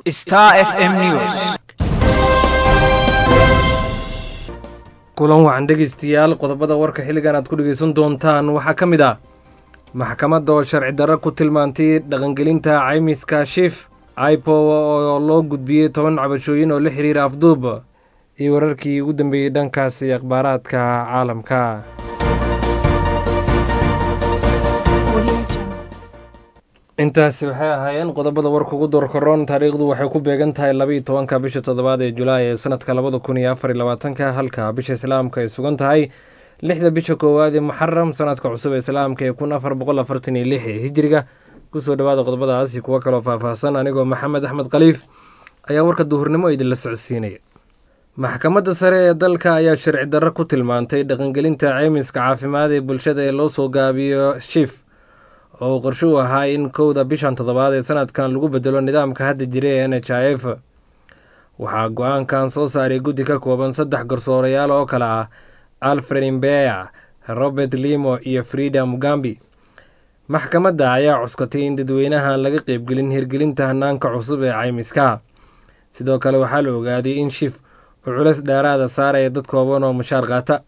Star FM News. Kulan wacan dhegeystayaal, qodobada warka xilligan aad ku dhegeysan doontaan waxaa ka mid ah maxkamadda oo sharci darro ku tilmaantay dhaqangelinta caymiska SHIF, IPOA oo loo gudbiyey 10 cabashooyin oo la xiriira afduub, iyo wararkii ugu dambeeyey dhankaasi akhbaaraadka caalamka. Intaasi waxay ahaayeen qodobada warka ugu doorkaroon. Taariikhdu waxay ku beegan tahay 12-ka bisha toddobaad ee Julaay ee sanadka 2024-ka, halka bisha islaamka ay sugan tahay 6-da bisha koowaad ee Muxaram sanadka cusub ee islaamka ee 1446 ee hijiriga. Kusoo dhawaada qodobadaasi kuwo kaloo faahfaahsan anigoo Maxamed Axmed Khaliif ayaa warka duhurnimo idinla socodsiinaya. Maxkamadda sare ee dalka ayaa sharci darro ku tilmaantay dhaqangelinta caymiska caafimaad ee bulshada ee loo soo gaabiyo SHIF, oo uu qorshe u ahaa in 1-da bishan toddobaad ee sanadkan lagu bedelo nidaamka hadda jira ee NHIF. Waxaa go-aankan soo saaray guddi ka kooban saddex garsoorayaal oo kale ah Alfred Imbeya, Robert Limo iyo Frida Mugambi. Maxkamadda ayaa cuskatay in dadweynahan laga qeybgelin hirgelinta hanaanka cusub ee caymiska. Sidoo kale waxaa la ogaaday in SHIF uu culeys dheeraada saaraya dad kooban oo mushaar qaata.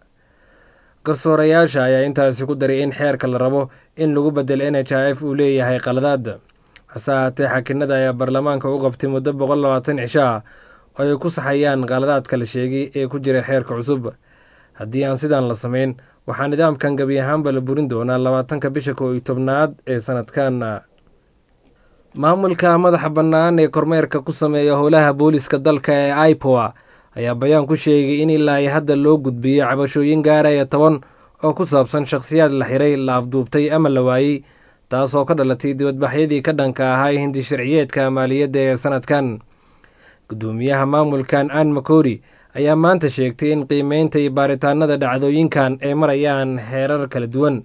Garsoorayaasha ayaa intaasi ku daray in xeerka la rabo in lagu bedelo NHIF uu leeyahay qaladaad. Hase ahaatee, xakinada ayaa baarlamaanka u qabtay muddo 120 cisho ah oo ay ku saxayaan qaladaadka la sheegay ee ku jira xeerka cusub. Haddii aan sidan la samayn, waxaa nidaamkan gebi ahaanba la burin doonaa 20-ka bisha 11-aad ee sanadkan. Maamulka madaxa bannaan ee kormeerka ku sameeya howlaha booliska dalka ee IPOA ayaa bayaan ku sheegay in ilaa ay hadda loo gudbiyey cabashooyin gaaraya 10 oo ku saabsan shakhsiyaad la xiray, la afduubtay ama la waayey, taasoo ka dhalatay dibadbaxyadii ka dhanka ahaa hindi sharciyeedka maaliyadda ee sanadkan. Guddoomiyaha maamulkan Ann Makori ayaa maanta sheegtay in qiimeynta iyo baaritaanada dhacdooyinkan ay marayaan heerar kala duwan.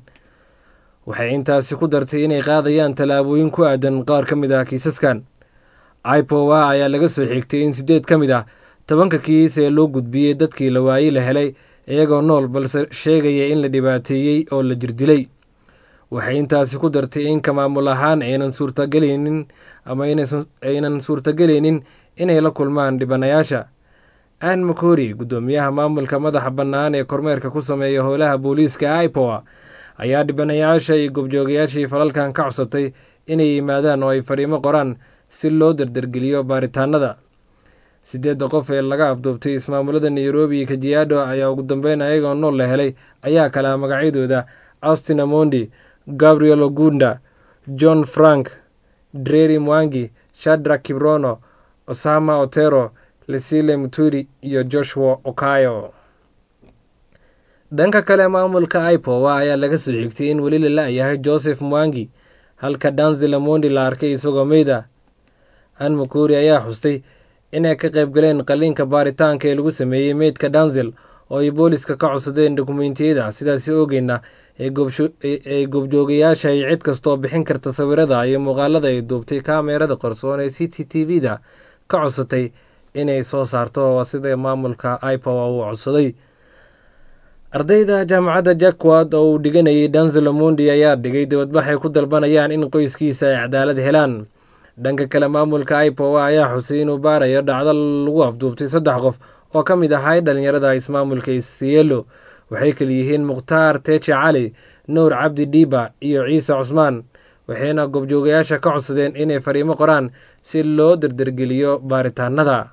Waxay intaasi ku dartay inay qaadayaan tallaabooyin ku aadan qaar ka mid ah kiisaskan. IPOA ayaa laga soo xigtay in 8 ka mid ah 10-ka kiis ee loo gudbiyey dadkii la waayey la helay iyagoo nool, balse sheegaya in la dhibaateeyey oo la jirdilay. Waxay intaasi ku dartay in ka maamul ahaan aynan suurtagelaynin ama aynan suurtagelaynin inay la kulmaan dhibanayaasha. Ann Makori, guddoomiyaha maamulka madaxa bannaan ee kormeerka ku sameeya howlaha booliiska IPOA, ayaa dhibanayaasha iyo goobjoogayaashii falalkan ka codsatay inay yimaadaan oo ay fariimo qoraan si loo dardargeliyo baaritaanada. 8-da qof ee laga afduubtay ismaamulada Nairobi iyo Kajiado ayaa ugu dambeyn ayagoo nool la helay ayaa kala magacyadooda Austin Amondi, Gabriel Ogunda, John Frank Dreri, Mwangi, Shadrak Kibrono, Osama Otero, Lesile Muturi iyo Joshua Okayo. Dhanka kale, maamulka IPOA ayaa laga soo xigtay in weli la la-yahay Joseph Mwangi, halka Danzil Amondi la arkay isagoo meyda. Ann Makuri ayaa xustay inay ka qayb galeen qaliinka baaritaanka ee lagu sameeyey meydka Danzil oo ay booliska ka codsadeen dukumentiyada, sidaasi ogeydna ay goobjoogayaasha iyo cid kastaoo bixin karta sawirada iyo muuqaalada ay duubtay kaamerada qarsoon ee CCTV da ka codsatay inay soo saarto, waa sida maamulka IPOA uu codsaday. Ardayda jaamacadda Jackward oo uu dhiganayay Danzil Amondi ayaa dhigay dibadbax ay ku dalbanayaan in qoyskiisa ay cadaalad helaan. Dhanka kale, maamulka IPOA ayaa xusay inuu baarayo dhacdo lagu afduubtay saddex qof oo ka mid ahay dhalinyarada ismaamulka Isiolo. Waxay kala yihiin Mukhtaar Teje Cali, Nuur Cabdi Dhiiba iyo Ciise Cusmaan, waxayna goobjoogayaasha ka codsadeen inay fariimo qoraan si loo dardargeliyo baaritaanada.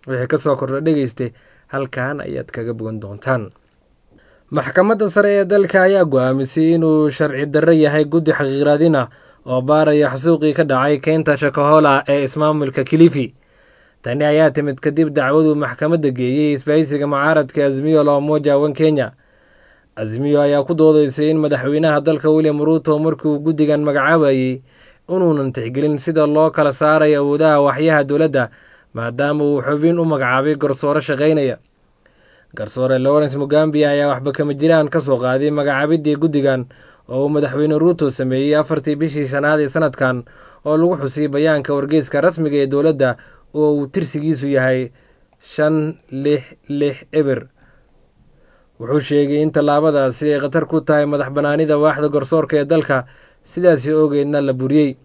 Wixii kasoo kordha dhegeyste, halkan ayaad kaga bogan doontaan. Maxkamadda sare ee dalka ayaa go-aamisay inuu sharci darro yahay guddi xaqiiqraadin ah oo baaraya xasuuqii ka dhacay keynta Shakahola ee ismaamulka Kilifi. Tani ayaa timid kadib dacwaduu maxkamadda geeyey isbahaysiga mucaaradka Azmiyo la Umoja One Kenya. Azmiyo ayaa ku doodeysay in madaxweynaha dalka William Ruto markii uu guddigan magacaabayey inuunan tixgelin sida loo kala saarayo awoodaha waxyaha dowladda, maadaama uu xubin u magacaabay garsoore shaqaynaya. Garsoore Lawrence Mugambi ayaa waxba kama jiraan ka soo qaaday magacaabidii guddigan oo uu madaxweyne Ruto sameeyey 4-tii bishii shanaad ee sanadkan, oo lagu xusay bayaanka wargeyska rasmiga ee dowladda oo uu tirsigiisu yahay 5660. Wuxuu sheegay in tallaabadaasi ay khatar ku tahay madax bannaanida waaxda garsoorka ee dalka, sidaasi ogeedna la buriyey.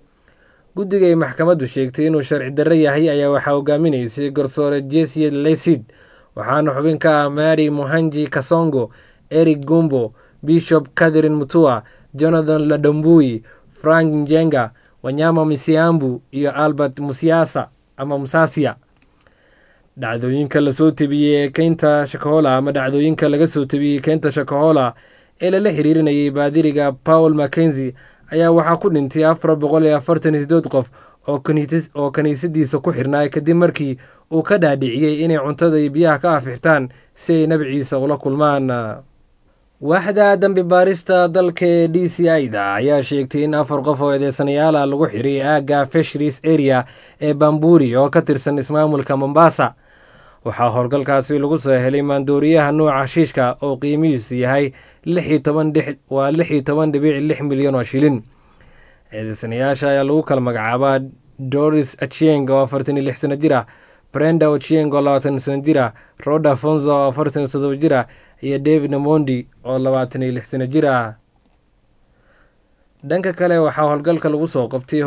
Guddiga ay maxkamaddu sheegtay inuu sharci darro yahay ayaa waxaa hogaaminaysay garsoore Jesi Lesid, waxaana xubin ka ah Mary Muhanji Kasongo, Eric Gumbo, Bishop Catherine Mutua, Jonathan Ladambui, Frank Njenga, Wanyama Misiambu iyo Albert Musiasa ama Musasia. Dhacdooyinka lasoo tebiyey ee keynta Shakahola ama dhacdooyinka laga soo tebiyey keynta Shakahola ee lala xiriirinayay baadiriga Paul Mackenzie ayaa waxaa ku dhintay 448 qof oo kiniisadiisa ku xirnaa kadib markii uu ka dhaadhiciyey inay cuntada iyo biyaha ka afixtaan si ay Nabi Ciise ula kulmaan. Waaxda dambi baarista dalka ee DCI da ayaa sheegtay in afar qof oo eedeysanayaal ah lagu xiray aagga Fisheries Area ee Bamburi oo ka tirsan ismaamulka Mombasa. Waxaa howlgalkaasi lagu soo helay maandooriyaha nuuca shiishka oo qiimihiisu yahay waa 16.6 milyan oo shilin. Eedeysanayaasha ayaa lagu kala magacaabaa Doris Achieng oo 46 sano jir ah, Brenda Ochieng oo 20 sano jir ah, Roda Fonzo oo 47 jir ah iyo David Namondi oo 26 sano jir ah. Dhanka kale, waxaa howlgalka lagu soo qabtay,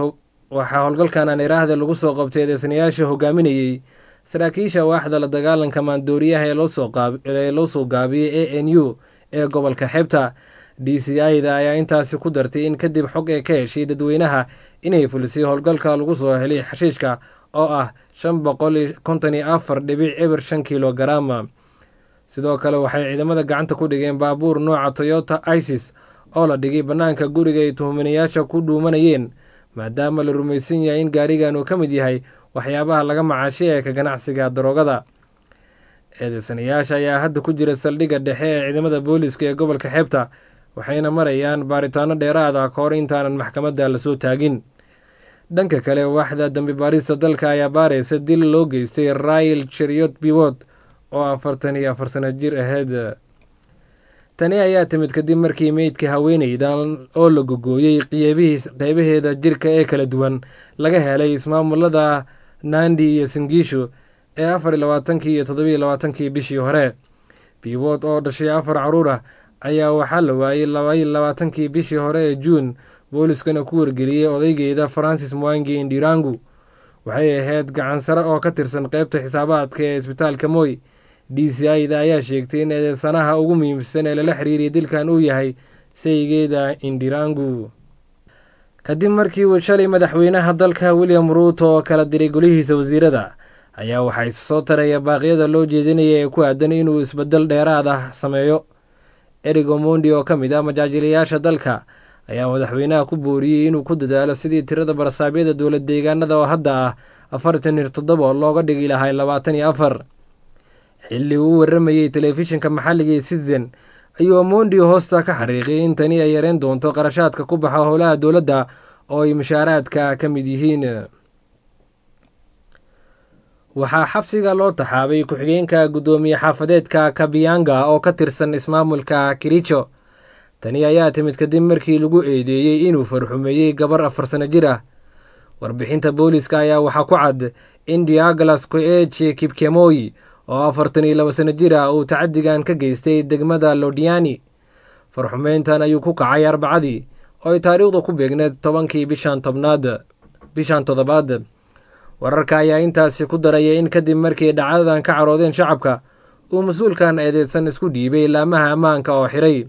waxaa howlgalkan aan iraahda lagu soo qabtay eedeysanayaasha hogaaminayey saraakiisha waaxda la dagaalanka maandooriyaha ee loo soo gaabiyey ANU ee gobolka Xeebta. DCI da ayaa intaasi ku dartay in kadib xog ee ka heshay dadweynaha inay fulisay howlgalka lagu soo helay xashiishka oo ah 554.05 kilogaram. Sidoo kale, waxay ciidamada gacanta ku dhigeen baabuur nooca Toyota Isis oo la dhigay bannaanka guriga ay tuhmanayaasha ku dhuumanayeen, maadaama la rumaysan yahay in gaarigan uu ka mid yahay waxyaabaha laga macaashay ee ka ganacsiga daroogada. Eedeysanayaasha ayaa hadda ku jira saldhigga dhexe ee ciidamada booliiska ee gobolka Xeebta, waxayna marayaan baaritaano dheeraad ah kahor intaanan maxkamadda lasoo taagin. Dhanka kale, waaxda dambi baarista dalka ayaa baaraysa dil loo geystay Rail Cheriot Biwot oo 44 sano jir ahayd. Tani ayaa timid kadib markii meydka haweeneydan oo la gogooyey qeybaheeda jirka ee kala duwan laga helay ismaamulada Nandi iyo Singishu ee 24-kii iyo 27-kii bishii hore. Biwot oo dhashay afar caruur ah ayaa waxaa la waayey 22-kii bishii hore ee Juun, booliskana ku wargeliyey odaygeeda Francis Mwangi Indirangu. Waxay ahayd gacan sare oo ka tirsan qeybta xisaabaadka ee isbitaalka Moy. DCI da ayaa sheegtay in eedeysanaha ugu muhiimsan ee lala xiriiriyay dilkan uu yahay saygeeda Indirangu. Kadib markii uu shalay madaxweynaha dalka William Ruuto oo kala diray golihiisa wasiirada, ayaa waxaa isa soo taraya baaqyada loo jeedinaya ee ku aadan inuu isbedel dheeraad ah sameeyo. Eric Omondi oo ka mid ah majaajilayaasha dalka ayaa madaxweynaha ku booriyey inuu ku dadaalo sidii tirada barasaabyada dowlad deegaanada oo hadda ah 47 looga dhigi lahay 24. Xilli uu u waramayey telefishinka maxalliga ee Citizen ayuu Omondi hoosta ka xariiqay in tani ay yareyn doonto qarashaadka ku baxa howlaha dowladda oo ay mushaaraadka ka mid yihiin. Waxaa xabsiga loo taxaabay ku-xigeenka guddoomiye xaafadeedka Kabianga oo ka tirsan ismaamulka Kiricho. Tani ayaa timid kadib markii lagu eedeeyey inuu farxumeeyey gabar 4 sano jir ah. Warbixinta booliiska ayaa waxaa ku cad in Diaglas Koeche Kipkemoyi oo 42 sano jir ah uu tacadigan ka geystay degmada Lodiani. Farxumeyntan ayuu ku kacay Arbacadii oo ay taariikhda ku beegneed 10-kii bishan tobnaad, bishan toddobaad. Wararka ayaa intaasi ku daraya in kadib markii dhacdadan ka caroodeen shacabka, uu mas-uulkan eedeydsan isku dhiibay laamaha ammaanka oo xiray.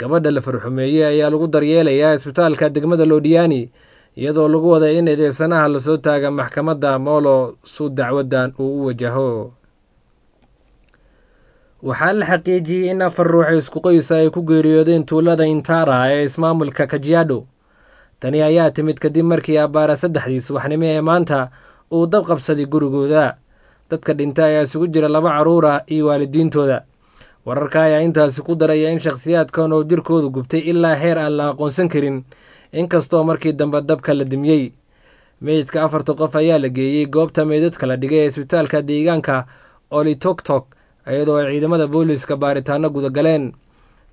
Gabadha la farxumeeyey ayaa lagu daryeelayaa isbitaalka degmada Lodiani, iyadoo lagu waday in eedeysanaha lasoo taaga maxkamadda Molo su dacwadan uu u wajaho. Waxaa la xaqiijiyey in afar ruux isku qoysa ay ku geeriyoodeen tuulada Intara ee ismaamulka Kajiado. Tani ayaa timid kadib markii abbaara 3-dii subaxnimo ee maanta uu dab qabsaday gurigooda. Dadka dhinta ayaa isugu jira laba carruur ah iyo waalidiintooda. Wararka ayaa intaasi ku daraya in shakhsiyaadkan oo jirkoodu gubtay ilaa heer aan la aqoonsan karin, inkastoo markii dambe dabka la dimiyey. Meydka afarta qof ayaa la geeyey goobta meydadka la dhigay ee isbitaalka deegaanka Olitoktok, iyadoo ay ciidamada booliiska baaritaano gudagaleen.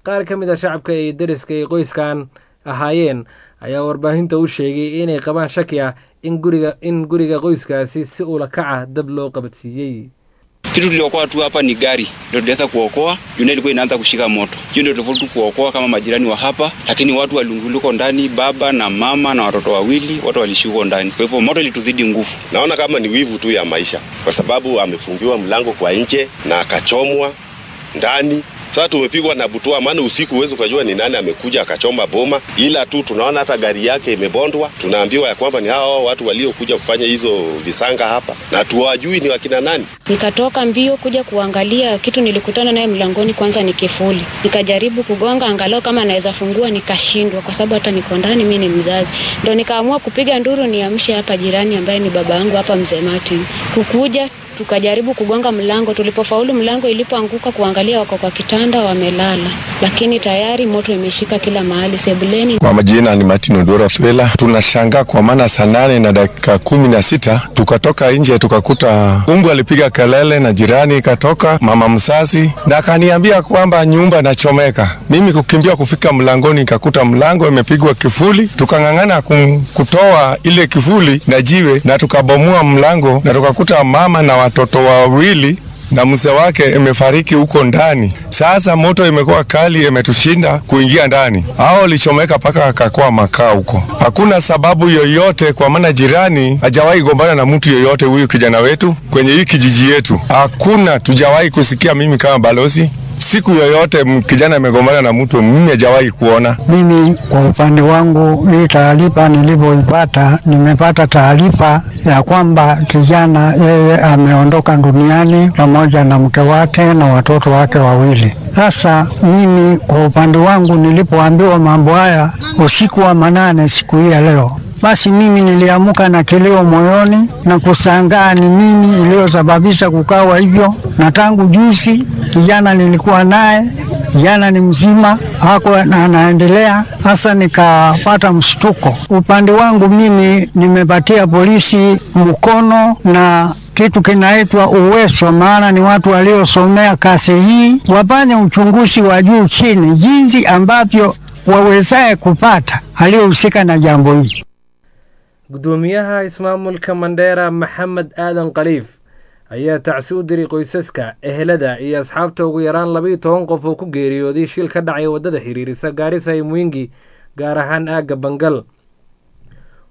Qaar ka mid a shacabka iyo deriska ay qoyskan ahaayeen ayaa warbaahinta u sheegay inay qabaan shaki ah in guriga qoyskaasi si ula kaca dab loo qabadsiiyey. Kitu tuliokoa tu hapa ni gari ndio tuliweza kuokoa, juu ilikuwa inaanza kushika moto. Hiyo ndio tofauti kuokoa kama majirani wa hapa, lakini watu walunguluko ndani, baba na mama na watoto wawili, watu walishuko ndani. Kwa hivyo moto ilituzidi nguvu. Naona kama ni wivu tu ya maisha, kwa sababu amefungiwa mlango kwa nje na akachomwa ndani. Sasa tumepigwa na butwa, maana usiku huwezi ukajua ni nani amekuja akachoma boma, ila tu tunaona hata gari yake imebondwa. Tunaambiwa ya kwamba ni hao watu waliokuja kufanya hizo visanga hapa, na tuwajui ni wakina nani. Nikatoka mbio kuja kuangalia kitu, nilikutana naye mlangoni, kwanza ni kifuli. Nikajaribu kugonga angalau kama anaweza fungua, nikashindwa kwa sababu hata niko ndani, mimi ni mzazi. Ndio nikaamua kupiga nduru niamshe hapa jirani ambaye ni baba yangu hapa, mzee Martin. Kukuja tukajaribu kugonga mlango, tulipofaulu mlango ilipoanguka kuangalia wako kwa kitanda wamelala, lakini tayari moto imeshika kila mahali sebuleni. Kwa majina ni Martin Odora Fela. Tunashangaa kwa maana 8:16 tukatoka nje tukakuta ungu alipiga kelele na jirani ikatoka, mama mzazi, na akaniambia kwamba nyumba inachomeka. Mimi kukimbia kufika mlangoni nikakuta mlango imepigwa kifuli, tukang'ang'ana kutoa ile kifuli na jiwe na tukabomoa mlango na tukakuta mama na watoto wawili na mzee wake imefariki huko ndani. Sasa moto imekuwa kali, imetushinda kuingia ndani. Hao walichomeka paka akakuwa makaa huko. Hakuna sababu yoyote, kwa maana jirani hajawahi gombana na mtu yoyote huyu kijana wetu kwenye hii kijiji yetu. Hakuna, tujawahi kusikia mimi kama balozi siku yoyote kijana amegombana na mtu, mimi hajawahi kuona. Mimi kwa upande wangu, hii taarifa nilivyoipata, nimepata taarifa ya kwamba kijana yeye ameondoka duniani pamoja na mke wake na watoto wake wawili. Sasa mimi kwa upande wangu, nilipoambiwa mambo haya usiku wa manane siku hii ya leo, basi mimi niliamuka na kilio moyoni na kushangaa ni nini iliyosababisha kukawa hivyo. Na tangu juzi kijana nilikuwa naye, kijana ni mzima hako na anaendelea. Sasa nikapata mshtuko. Upande wangu mimi nimepatia polisi mkono na kitu kinaitwa uwezo, maana ni watu waliosomea kazi hii, wafanye uchunguzi wa juu chini, jinsi ambavyo wawezaye kupata aliyohusika na jambo hili. Gudoomiyaha ismaamulka Mandheera Maxamed Aadan Khaliif ayaa tacsi u diray qoysaska, ehelada iyo asxaabta ugu yaraan 12 qof oo ku geeriyooday shil ka dhacay waddada xiriirisa Gaarisa iyo Mwingi, gaar ahaan aagga Bangal.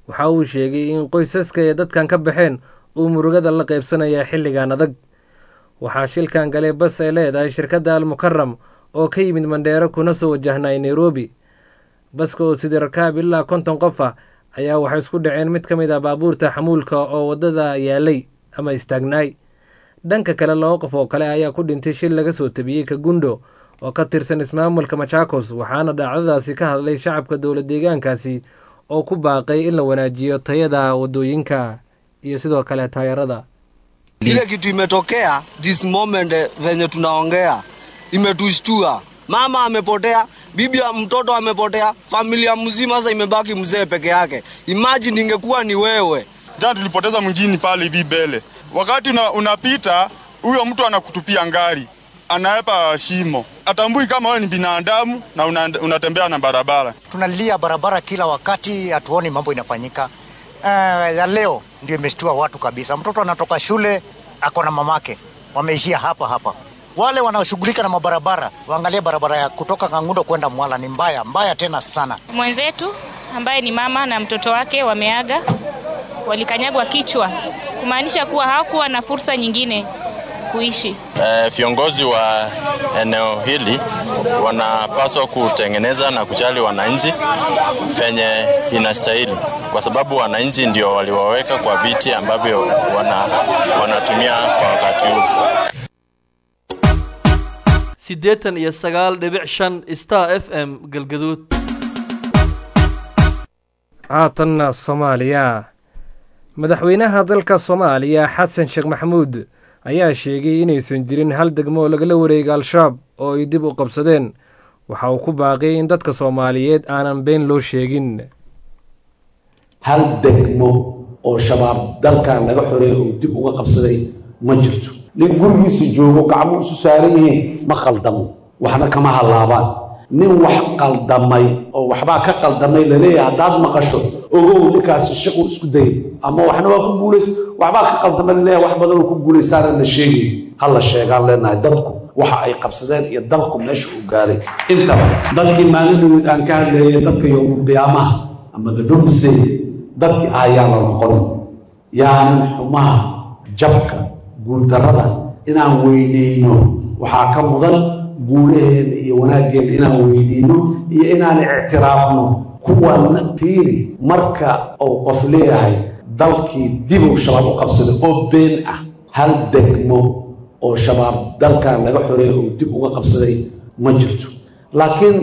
Waxa uu sheegay in qoysaska ee dadkan ka baxeen uu murugada la qaybsanaya xilligan adag. Waxaa shilkan galay bas ay leedahay shirkadda Almukaram oo ka yimid Mandheero kuna soo wajahnay Nairobi. Baska oo sidii rakaab ilaa 50 qof ah ayaa waxay isku dhaceen mid ka mid ah baabuurta xamuulka oo waddada yaalay ama istaagnaay. Dhanka kale, 2 qof oo kale ayaa ku dhintay shil laga soo tabiyey Kagundo oo ka tirsan ismaamulka Machakos, waxaana dhacdadaasi ka hadlay shacabka dowlad deegaankaasi oo ku baaqay in la wanaajiyo tayada waddooyinka iyo sidoo kale taayarada. Ile kitu imetokea this moment venye tunaongea imetushtua. Mama amepotea, bibi ya mtoto amepotea, familia mzima sasa imebaki mzee peke yake. Imagine ingekuwa ni wewe. Jana tulipoteza mwingine pale hivi mbele. Wakati unapita, huyo mtu anakutupia ngari, anaepa shimo. Atambui kama wewe ni binadamu na unatembea na barabara. Tunalia barabara kila wakati, hatuoni mambo inafanyika. Ya leo ndio imeshtua watu kabisa. Mtoto anatoka shule ako na mamake, wameishia hapa hapa. Wale wanaoshughulika na mabarabara waangalie barabara ya kutoka Kangundo kwenda Mwala ni mbaya mbaya tena sana. Mwenzetu ambaye ni mama na mtoto wake wameaga, walikanyagwa kichwa, kumaanisha kuwa hawakuwa na fursa nyingine kuishi. Viongozi wa eneo hili wanapaswa kutengeneza na kujali wananchi venye inastahili, kwa sababu wananchi ndio waliwaweka kwa viti ambavyo wanatumia kwa wakati huu. 89.5 Star FM Galgaduud. Haatanna Soomaaliya. Madaxweynaha dalka Soomaaliya Xasan Sheekh Maxamuud ayaa sheegay inaysan jirin hal degmo oo lagala wareegay Al-Shabaab oo ay dib u qabsadeen. Waxa uu ku baaqay in dadka Soomaaliyeed aanan been loo sheegin. Hal degmo oo Shabaab dalkan laga xoreeyay oo dib uga qabsaday ma jirto. Nin gurigiisa joogo gacmo isu saaran yihiin ma khaldamo, waxna kama halaabaan. Nin wax qaldamay oo waxbaa ka qaldamay laleeyahay haddaad maqasho, ogow ninkaasi shaquu isku dayay ama waxna waa ku guulays, waxbaa ka qaldamay laleeyahay wax badan oo ku guulaystaana la sheegay. Ha la sheegaan leenahay dadku waxa ay qabsadeen iyo dalku meesha uu gaaray intaba. Dadkii maalin dhaweyd aan ka hadlayay, dadka yowmul qiyaamaha ama the doomsday dadkii ah, yaa la noqon. Yaanan xumaha, jabka, guuldarrada inaan weyneyno. Waxaa ka mudan guulaheena iyo wanaaggeena inaan weyneyno iyo inaan ictiraafno kuwan. Fiiri, marka uu qof leeyahay dalkii dibuu Shabaab u qabsaday oo been ah, hal degmo oo Shabaab dalkan laga xoreeyay oo dib uga qabsaday ma jirto. Laakiin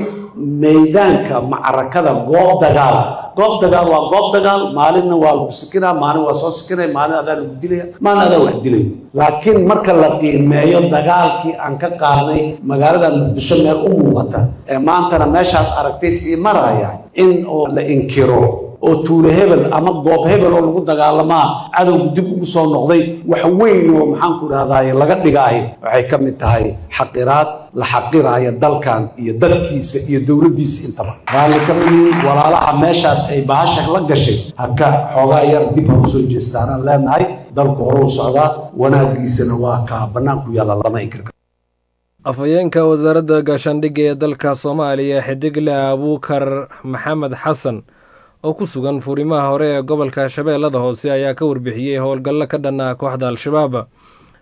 maydaanka macrakada, goob dagaal, goob dagaal waa goob dagaal. Maalinna waa lagu sikinaa, maalin waa soo sikinaya, maalin adaa lagu dilaya, maalin adaa wax dilaya. Laakiin marka la qiimeeyo dagaalkii aan ka qaadnay magaalada Muqdisho, meel u muuqata ee maantana meeshaad aragtay sii maraya, in oo la inkiro oo tuulo hebel ama goob hebel oo lagu dagaalamaa cadowgu dib ugu soo noqday, wax weyn oo, maxaan ku idhahdaye, laga dhigaayo, waxay ka mid tahay xaqiraad la xaqiraayo dalkan iyo dadkiisa iyo dowladdiisa intaba. Raalli ka miyiin walaalaha meeshaas ay bahasha la gashay, haka xoogaa yar dib ha usoo jeestaanaan leenahay. Dalku hore u socdaa, wanaagiisana waa kaa bannaanku yaalla, lama inkir karo. Afhayeenka wasaaradda gaashaandhigga ee dalka Soomaaliya, Xidigle Abuukar Maxamed Xasan, oo ku sugan furimaha hore ee gobolka Shabeellada Hoose, ayaa ka warbixiyey howlgallo ka dhan ah kooxda Al-Shabaab.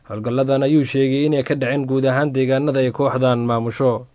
Howlgalladan ayuu sheegay inay ka dhaceen guud ahaan deegaanada ay kooxdan maamusho.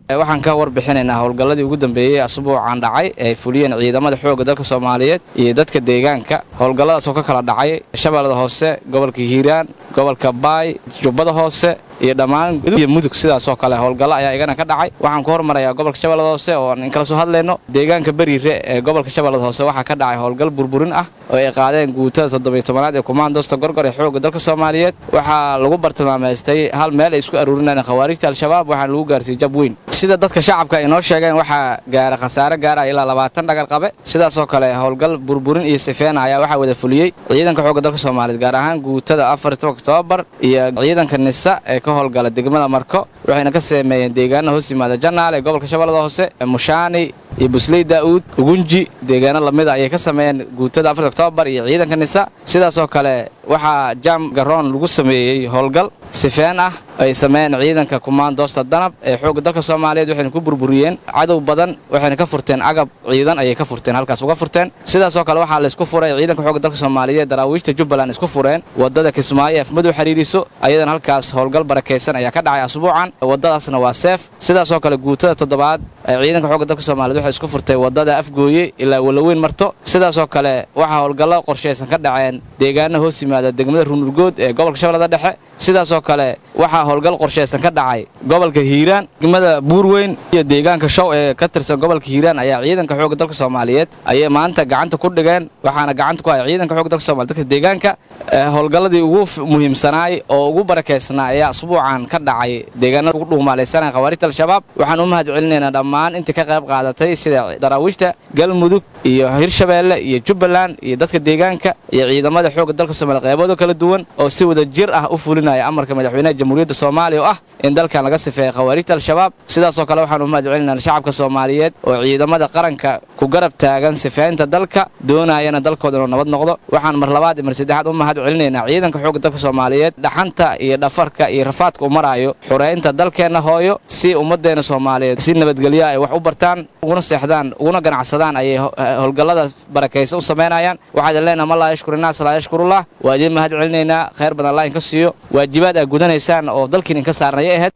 Waxaan ka warbixinaynaa howlgalladii ugu dambeeyey asbuucan dhacay ee ay fuliyeen ciidamada xoogga dalka Soomaaliyeed iyo dadka deegaanka. Howlgalladaas oo ka kala dhacay Shabeellada Hoose, gobolka Hiiraan, gobolka Baay, Jubbada Hoose iyo dhammaan iyo Mudug. Sidaasoo kale howlgallo ayaa igana ka dhacay. Waxaan ku hormarayaa gobolka Shabeellada Hoose oo aan inkala soo hadlayno. Deegaanka Beriire ee gobolka Shabeellada Hoose waxaa ka dhacay howlgal burburin ah oo ay qaadeen guutada 17aad ee kumaandoosta Gorgor ee xoogga dalka Soomaaliyeed. Waxaa lagu bartilmaameystay hal meel ay isku aruurinayeen khawaarijta Al-Shabaab, waxaana lagu gaarsiiyey jab weyn. Sida dadka shacabka ay inoo sheegeen, waxaa gaara khasaare gaaraya ilaa 20 dhagar qabe. Sidaasoo kale howlgal burburin iyo sifeena ayaa waxaa wada fuliyey ciidanka xoogga dalka Soomaaliyeed, gaar ahaan guutada 14 Oktoobar iyo ciidanka NISA ee ka howlgala degmada Marko, waxayna ka sameeyeen deegaana hoos yimaada Janaal ee gobolka Shabeellada Hoose, Mushaani iyo Busley Daa'uud, Ugunji, deegaano lamida ayay ka sameeyeen guutada 4 Oktoobar iyo ciidanka NISA. Sidaasoo kale waxaa Jaam Garoon lagu sameeyey howlgal sifeen ah ay sameeyeen ciidanka kumaandoosta Danab ee xoogga dalka Soomaaliyeed, waxayna ku burburiyeen cadow badan, waxayna ka furteen agab ciidan ayay ka furteen, halkaas uga furteen. Sidaasoo kale waxaa laysku furay ciidanka xoogga dalka Soomaaliyeed, daraawiishta Jubbaland isku fureen waddada Kismaayo ee Afmadow xiriiriso. Ayadana halkaas howlgal barakaysan ayaa ka dhacay asbuucan, waddadaasna waa seef. Sidaasoo kale guutada toddobaad ee ciidanka xoogga dalka Soomaaliyeed waxay isku furtay waddada Afgooye ilaa Walaweyn marto. Sidaasoo kale waxaa howlgallo qorshaysan ka dhaceen deegaano hoos yimaada degmada Runurgood ee gobolka Shabeellada Dhexe. Sidaasoo kale waxaa howlgal qorshaysan ka dhacay gobolka Hiiraan, degmada Buurweyn iyo deegaanka Show ee ka tirsan gobolka Hiiraan ayaa ciidanka xoogga dalka Soomaaliyeed ayay maanta gacanta ku dhigeen, waxaana gacanta ku haya ciidanka xoogga dalka Soomaaliyeed dadka deegaanka. Howlgalladii ugu muhiimsanaay oo ugu barakeysnaa ayaa asbuucan ka dhacay deegaanada ugu dhuumaalaysanaya khawaarijta Al-Shabaab. Waxaan u mahad celinaynaa dhammaan intii ka qayb qaadatay, sida daraawiishta Galmudug iyo Hirshabeelle iyo Jubbaland iyo dadka deegaanka iyo ciidamada xoogga dalka Soomaaliya qaybooda kala duwan oo si wada jir ah u fulinaya amarka madaxweynaha Jamhuuriyadda Soomaaliya oo ah in dalkan laga sifeeyo khawaarijta Al-Shabaab. Sidaasoo kale waxaan u mahad celinaynaa shacabka Soomaaliyeed oo ciidamada qaranka ku garab taagan sifeynta dalka, doonayana dalkooda inuu nabad noqdo. Waxaan mar labaad iyo mar saddexaad u mahad celinaynaa ciidanka xoogga dalka Soomaaliyeed dhaxanta iyo dhafarka iyo rafaadka u maraayo xureynta dalkeenna hooyo, si ummaddeena Soomaaliyeed si nabadgelya ay wax u bartaan, uguna seexdaan, uguna ganacsadaan ayay howlgallada barakaysa u samaynayaan. Waxaa idin leenaha, man laa yashkur innaas laa yashkurullah. Waa idiin mahad celinaynaa, khayr badan Allah inka siiyo. Waajibaad aad gudanaysaan oo dalkiin inka saarnaya ahayd.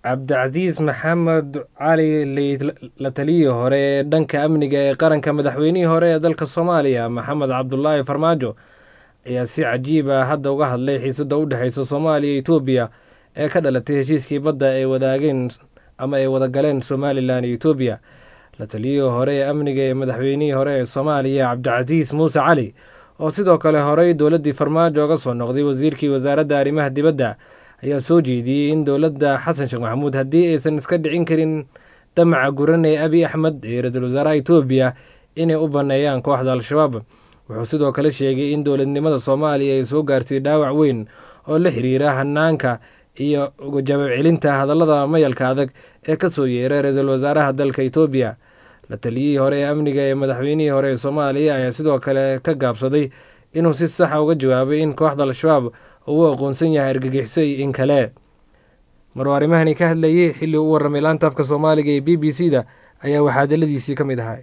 Cabdicasiis Maxamed Cali, la taliyihii hore ee dhanka amniga ee qaranka madaxweynihii hore ee dalka Soomaaliya Maxamed Cabdulaahi Farmaajo, ayaa si cajiib ah hadda uga hadlay xiisadda u dhexeysa Soomaaliya iyo Etoobiya ee ka dhalatay heshiiskii badda ay wadaageen ama ay wadagaleen Somalilan iyo Etoobiya. La taliyihii hore ee amniga ee madaxweynihii hore ee Soomaaliya Cabdicasiis Muuse Cali, oo sidoo kale horey dowladdii Farmaajo uga soo noqday wasiirkii wasaaradda arrimaha dibadda, ayaa soo jeediyey in dowladda Xasan Sheekh Maxamuud haddii aysan iska dhicin karin damaca guran ee Abiy Axmed ee ra-iisul wasaaraha Etoobiya inay u banneeyaan kooxda Al-Shabaab. Wuxuu sidoo kale sheegay in dowladnimada Soomaaliya ay soo gaartay dhaawac weyn oo la xiriira hanaanka iyo jawaab celinta hadallada mayalka adag ee ka soo yeeray ra-iisul wasaaraha dalka Etoobiya. La taliyihii hore ee amniga ee madaxweynihii hore ee Soomaaliya ayaa sidoo kale ka gaabsaday inuu si saxa uga jawaabay in kooxda Al-Shabaab oo u aqoonsan yahay argagixiso iyo in kale. Maruu arrimahani ka hadlayay xilli u warramay laanta afka Soomaaliga ee BBC da ayaa waxaa hadaladiisii ka mid ahaa: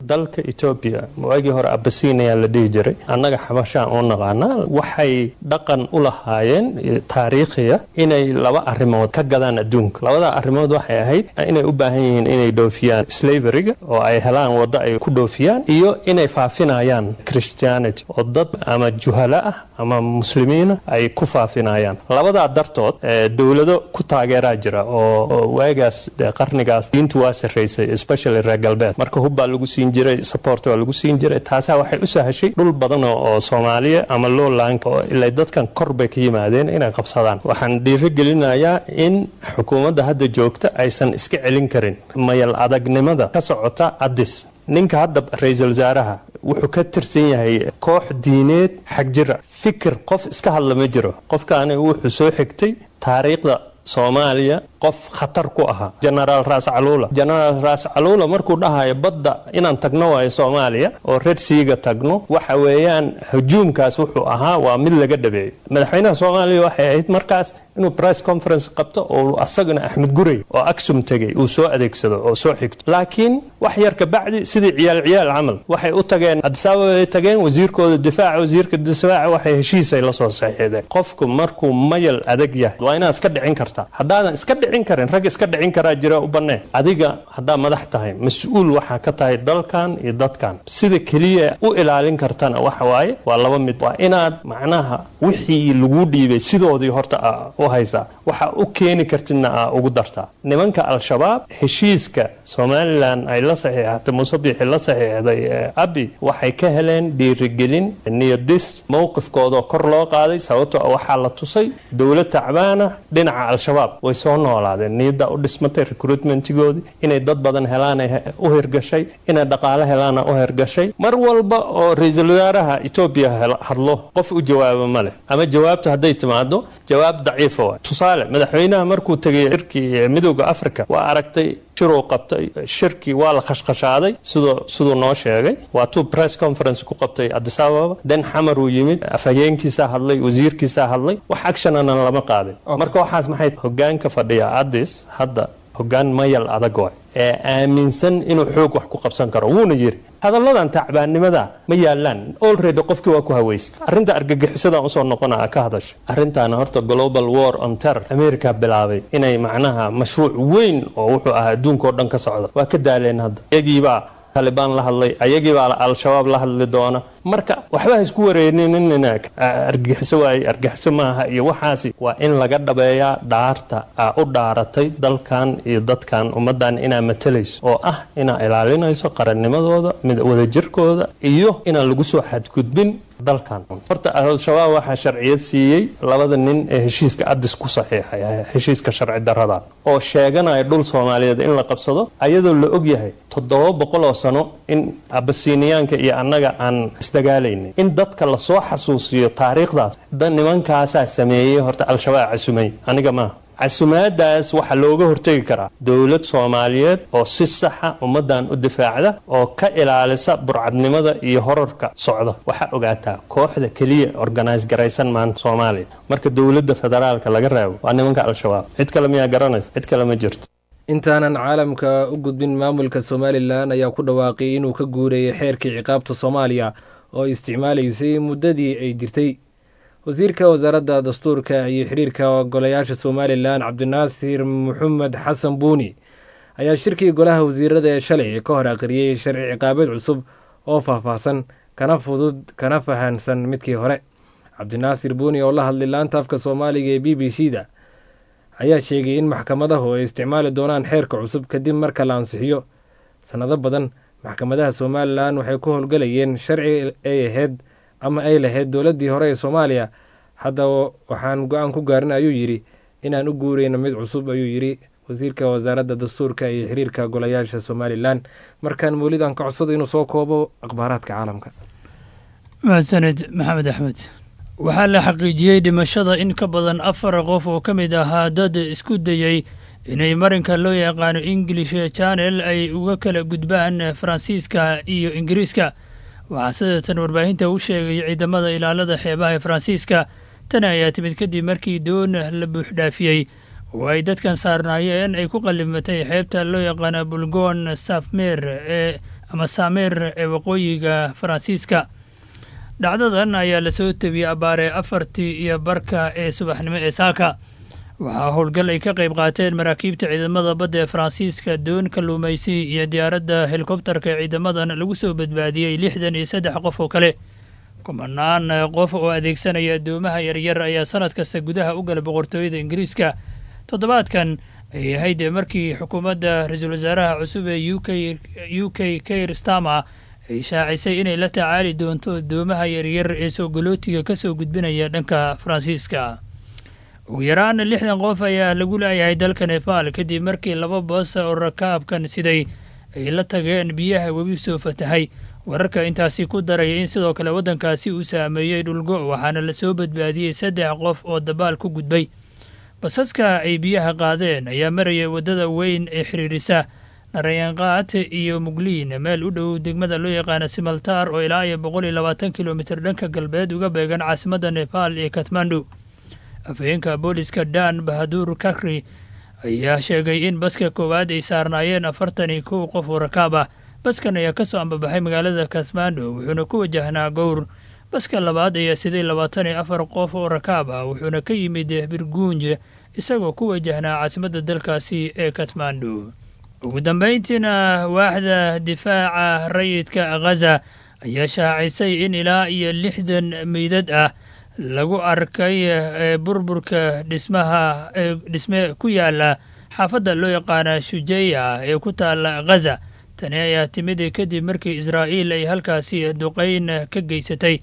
Dalka Etoobiya waagii hore Abasiniya la dhihi jiray, annaga Xabashaan u naqaanaa. Waxay dhaqan u lahaayeen taariikhiya inay laba arrimood ka gadaan adduunka. Labada arrimood waxay ahayd inay u baahan yihiin inay dhoofiyaan slaveryga oo ay helaan waddo ay ku dhoofiyaan, iyo inay faafinayaan Christianity oo dad ama juhala ah ama muslimiina ay ku faafinayaan. Labadaa dartood dowlado ku taageeraa jira oo waagaas qarnigaas diintu waa sarraysay, especially reer galbeed. Marka hubbaa lagu siin jiray, support waa lagu siin jiray. Taasaa waxay u sahashay dhul badan oo Soomaaliya ama lowland oo ilaa dadkan kor bay ka yimaadeen inay qabsadaan. Waxaan dhiirigelinayaa in xukuumadda hadda joogta aysan iska celin karin mayal adagnimada ka socota Addis. Ninka hadda ra-iisul wasaaraha wuxuu ka tirsan yahay koox diineed xagjira. Fikir qof iska hadla ma jiro. Qofkaani wuxuu soo xigtay taariikhda Soomaaliya qof khatar ku ahaa, Genaraal Raas Caluula. Genaraal Raas Caluula markuu dhahayo badda inaan tagno waayo Soomaaliya oo Red Seaga tagno, waxa weeyaan hujuumkaas wuxuu ahaa waa mid laga dhabeeyey. Madaxweynaha Soomaaliya waxay ahayd markaas inuu press conference qabto oo asagana Axmed Gurey oo Aksum tegey uu soo adeegsado oo soo xigto. Laakiin wax yar ka bacdi, sidii ciyaal ciyaal camal, waxay u tageen Addis Ababa ay tageen wasiirkooda difaaca, wasiirka difaaca waxay heshiisay la soo saxiixdeen. Qofku markuu mayal adag yahay waa inaad iska dhicin kartaa. Haddaadan iska dhicin karin, rag iska dhicin karaa jira, u bannee. Adiga haddaa madax tahay, mas-uul waxaa ka tahay dalkan iyo dadkan. Sida keliya u ilaalin kartana waxa waaye waa laba mid: waa inaad macnaha wixii lagu dhiibay sidoodii horta u haysaa, waxa u keeni kartidna aa ugu dartaa. Nimanka Al-Shabaab heshiiska Somaliland ay la saxiixatay, Muuse Biixi la saxiixday Abi, waxay ka heleen dhiirigelin, niyadis, mowqifkoodoo kor loo qaaday, sababtoo waxaa la tusay dowlad tacbaana dhinaca Al-Shabaab way soo noolaadeen, niyaddaa u dhismatay, recruitmentigoodii inay dad badan helaan u hirgashay, inay dhaqaale helaana u hirgashay. Mar walba oo ra-iisul wasaaraha Etoobiya hadlo, qof u jawaabo ma leh, ama jawaabtu hadday timaado jawaab daciifa waay. Tusaale, madaxweynaha markuu tegay shirkii Midowda Africa, waa aragtay shiruu qabtay. Shirkii waa la khashkhashaaday siduu noo sheegay. Waa tuu press conference ku qabtay Addis Ababa, den Xamar uu yimid, afhayeenkiisaa hadlay, wasiirkiisaa hadlay, wax actionana lama qaadin. Marka waxaas maxay hogaanka fadhiya Addis hadda hogaan mayal adag waay ee aaminsan inuu xoog wax ku qabsan karo. Wuuna yiri hadalladan tacbaannimada ma yaalaan, already qofkii waa ku haweystay. Arrinta argagixisadan usoo noqona ka hadasha arrintaana, horta global war on terror America bilaabay inay macnaha mashruuc weyn oo wuxuu ahaa adduunka oo dhan ka socda. Waa ka daaleen hadda, iyagiibaa Talibaan la hadlay, ayagiibaa Al-Shabaab la hadli doona. Marka waxba ha isku wareerinina, argagixiso waaye, argagixiso maaha iyo waxaasi. Waa in laga dhabeeyaa dhaarta aa u dhaaratay dalkan iyo dadkan, ummaddan inaa matalayso oo ah inaa ilaalinayso qarannimadooda, mid wadajirkooda iyo inaan lagu soo xadgudbin dalkan. Horta Al-Shabaab waxaa sharciyad siiyey labada nin ee heshiiska Addis ku saxiixay, heshiiska sharci darrada oo sheeganaya dhul Soomaaliyeed in la qabsado, ayadoo la og yahay 700 oo sano in Abasiniyaanka iyo annaga aan isdagaalaynay. In dadka lasoo xasuusiyo taariikhdaas da nimankaasaa sameeyey. Horta Al-Shabaab casumay, aniga maaha. Casumaadaas waxaa looga hortegi karaa dowlad Soomaaliyeed oo si saxa ummaddan u difaacda oo ka ilaalisa burcadnimada iyo horarka socda. Waxaa ogaataa kooxda keliya organise garaysan maanta Soomaaliya marka dowladda federaalka laga reebo waa nimanka Al-Shabaab. Cid kale miyaa garanaysa? Cid kale ma jirto. Intaanan caalamka u gudbin, maamulka Somaliland ayaa ku dhawaaqay inuu ka guureeyay xeerkii ciqaabta Soomaaliya oo isticmaalaysay muddadii ay jirtay. Wasiirka wasaaradda dastuurka iyo xiriirka golayaasha Somaliland, Cabdinaasir Maxamed Xasan Buuni, ayaa shirkii golaha wasiirada ee shalay ka hor akhriyey sharci ciqaabeed cusub oo faahfaahsan, kana fudud, kana fahansan midkii hore. Cabdinaasir Buuni oo la hadlay laanta afka Soomaaliga ee BBC da ayaa sheegay in maxkamadahu ay isticmaali doonaan xeerka cusub kadib marka la ansixiyo. Sannado badan maxkamadaha Somaliland waxay ku howlgalayeen sharci ay ahayd ama ay lahayd dowladdii hore ee Soomaaliya. Haddaba waxaan go-aan ku gaarin, ayuu yidhi, inaan u guureyno mid cusub, ayuu yidhi wasiirka wasaaradda dastuurka iyo xiriirka golayaasha Somaliland. Markaan Mawlid aan ka codsado inuu soo koobo akhbaaraadka caalamka. Mahadsaned, Maxamed Axmed. Waxaa la xaqiijiyey dhimashada in ka badan afar qof oo ka mid ahaa dad isku dayey inay marinka loo yaqaano English Channel ay uga kala gudbaan Faransiiska iyo Ingiriiska. Waxaa sidatan warbaahinta u sheegay ciidamada ilaalada xeebaha ee Faransiiska Tani ayaa timid kadib markii doon la buuxdhaafiyey oo ay dadkan saarnaayeen ay ku qallimatay xeebta loo yaqaana Bulgon Safmer ee ama Samer ee waqooyiga Faransiiska. Dhacdadan ayaa lasoo tebiyey abbaare 4:30 ee subaxnimo ee saaka. Waxaa howlgal ay ka qayb qaateen maraakiibta ciidamada badda ee Faransiiska, doon kalluumaysi iyo diyaaradda helikobtarka ee ciidamadan lagu soo badbaadiyey 63 qof oo kale. Kumanaan qof oo adeegsanaya addoomaha yaryar ayaa sanad kasta gudaha u gala Boqortooyada Ingiriiska. Toddobaadkan ayay ahayd markii xukuumadda ra-iisul wasaaraha cusub ee UK Keir Starmer ay shaacisay inay la tacaali doonto addoomaha yaryar ee soo galootiga ka soo gudbinaya dhanka Faransiiska. Ugu yaraan 60 qof ayaa lagu laayahay dalka Nebaal kadib markii laba bas oo rakaabkan siday ay la tageen biyaha webi soo fatahay. Wararka intaasi ku daraya in sidoo kale waddankaasi uu saameeyey dhulgo, waxaana lasoo badbaadiyey saddex qof oo dabaal ku gudbay. Basaska ay biyaha qaadeen ayaa marayay waddada weyn ee xiriirisa Narayanqaat iyo Mugliin, meel u dhow degmada loo yaqaana Simaltaar oo ilaa iyo 120 kilomitir dhanka galbeed uga beegan caasimadda Nebaal ee Katmandu. Afhayeenka booliska Dan Bahaduur Kakri ayaa sheegay in baska koowaad ay saarnaayeen 41 qof oo rakaab ah. Baskan ayaa ka soo ambabaxay magaalada Kathmandu, wuxuuna ku wajahnaa Gowr. Baska labaad ayaa siday 24 qof oo rakaab ah, wuxuuna ka yimid Birguunj isagoo ku wajahnaa caasimadda dalkaasi ee Kathmandu. Ugu dambayntiina, waaxda difaaca rayidka Ghaza ayaa shaacisay in ilaa iyo 60 meydad ah lagu arkay burburka dhismaha dhisme ku yaala xaafadda loo yaqaana Shujeya ee ku taala Ghaza. Tani ayaa timid kadib markii Israa'iil ay halkaasi duqayn ka geysatay.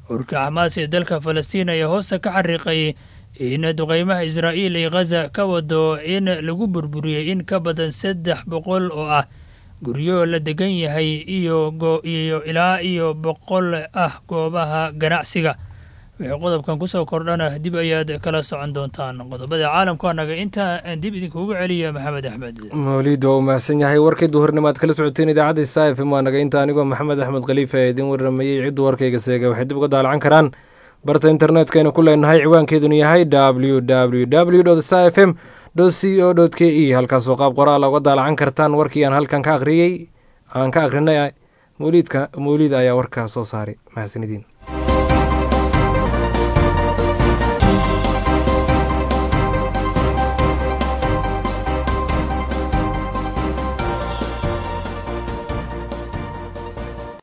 Ururka Xamaas ee dalka Falastiin ayaa hoosta ka xariiqay in duqaymaha Israa'iil ay Ghaza ka wado in lagu burburiyey in ka badan 300 oo ah guryo la degan yahay iyo ilaa iyo 100 ah goobaha ganacsiga. Wixii qodobkan kusoo kordhana dib ayaad kala socon doontaan. Qodobada caalamku anaga intaa aan dib idinkugu celiya Maxamed Axmed. Mawliid waa u mahadsan yahay. Warkii duhurnimo aad kala socoteen idaacadda Star FM waa naga inta. Anigoo Maxamed Axmed Khaliif ee idin warramayey. Ciddu warkayga seega waxay dib uga daalacan karaan barta internetkaynu ku leenahay, ciwaankeeduna yahay www star fm co k e, halkaasoo qaab qoraal uga daalacan kartaan warkii aan halkan ka akhriyey, aan ka akhrinay. Mawliidka Mawliid ayaa warkaa soo saaray. Mahadsanidin.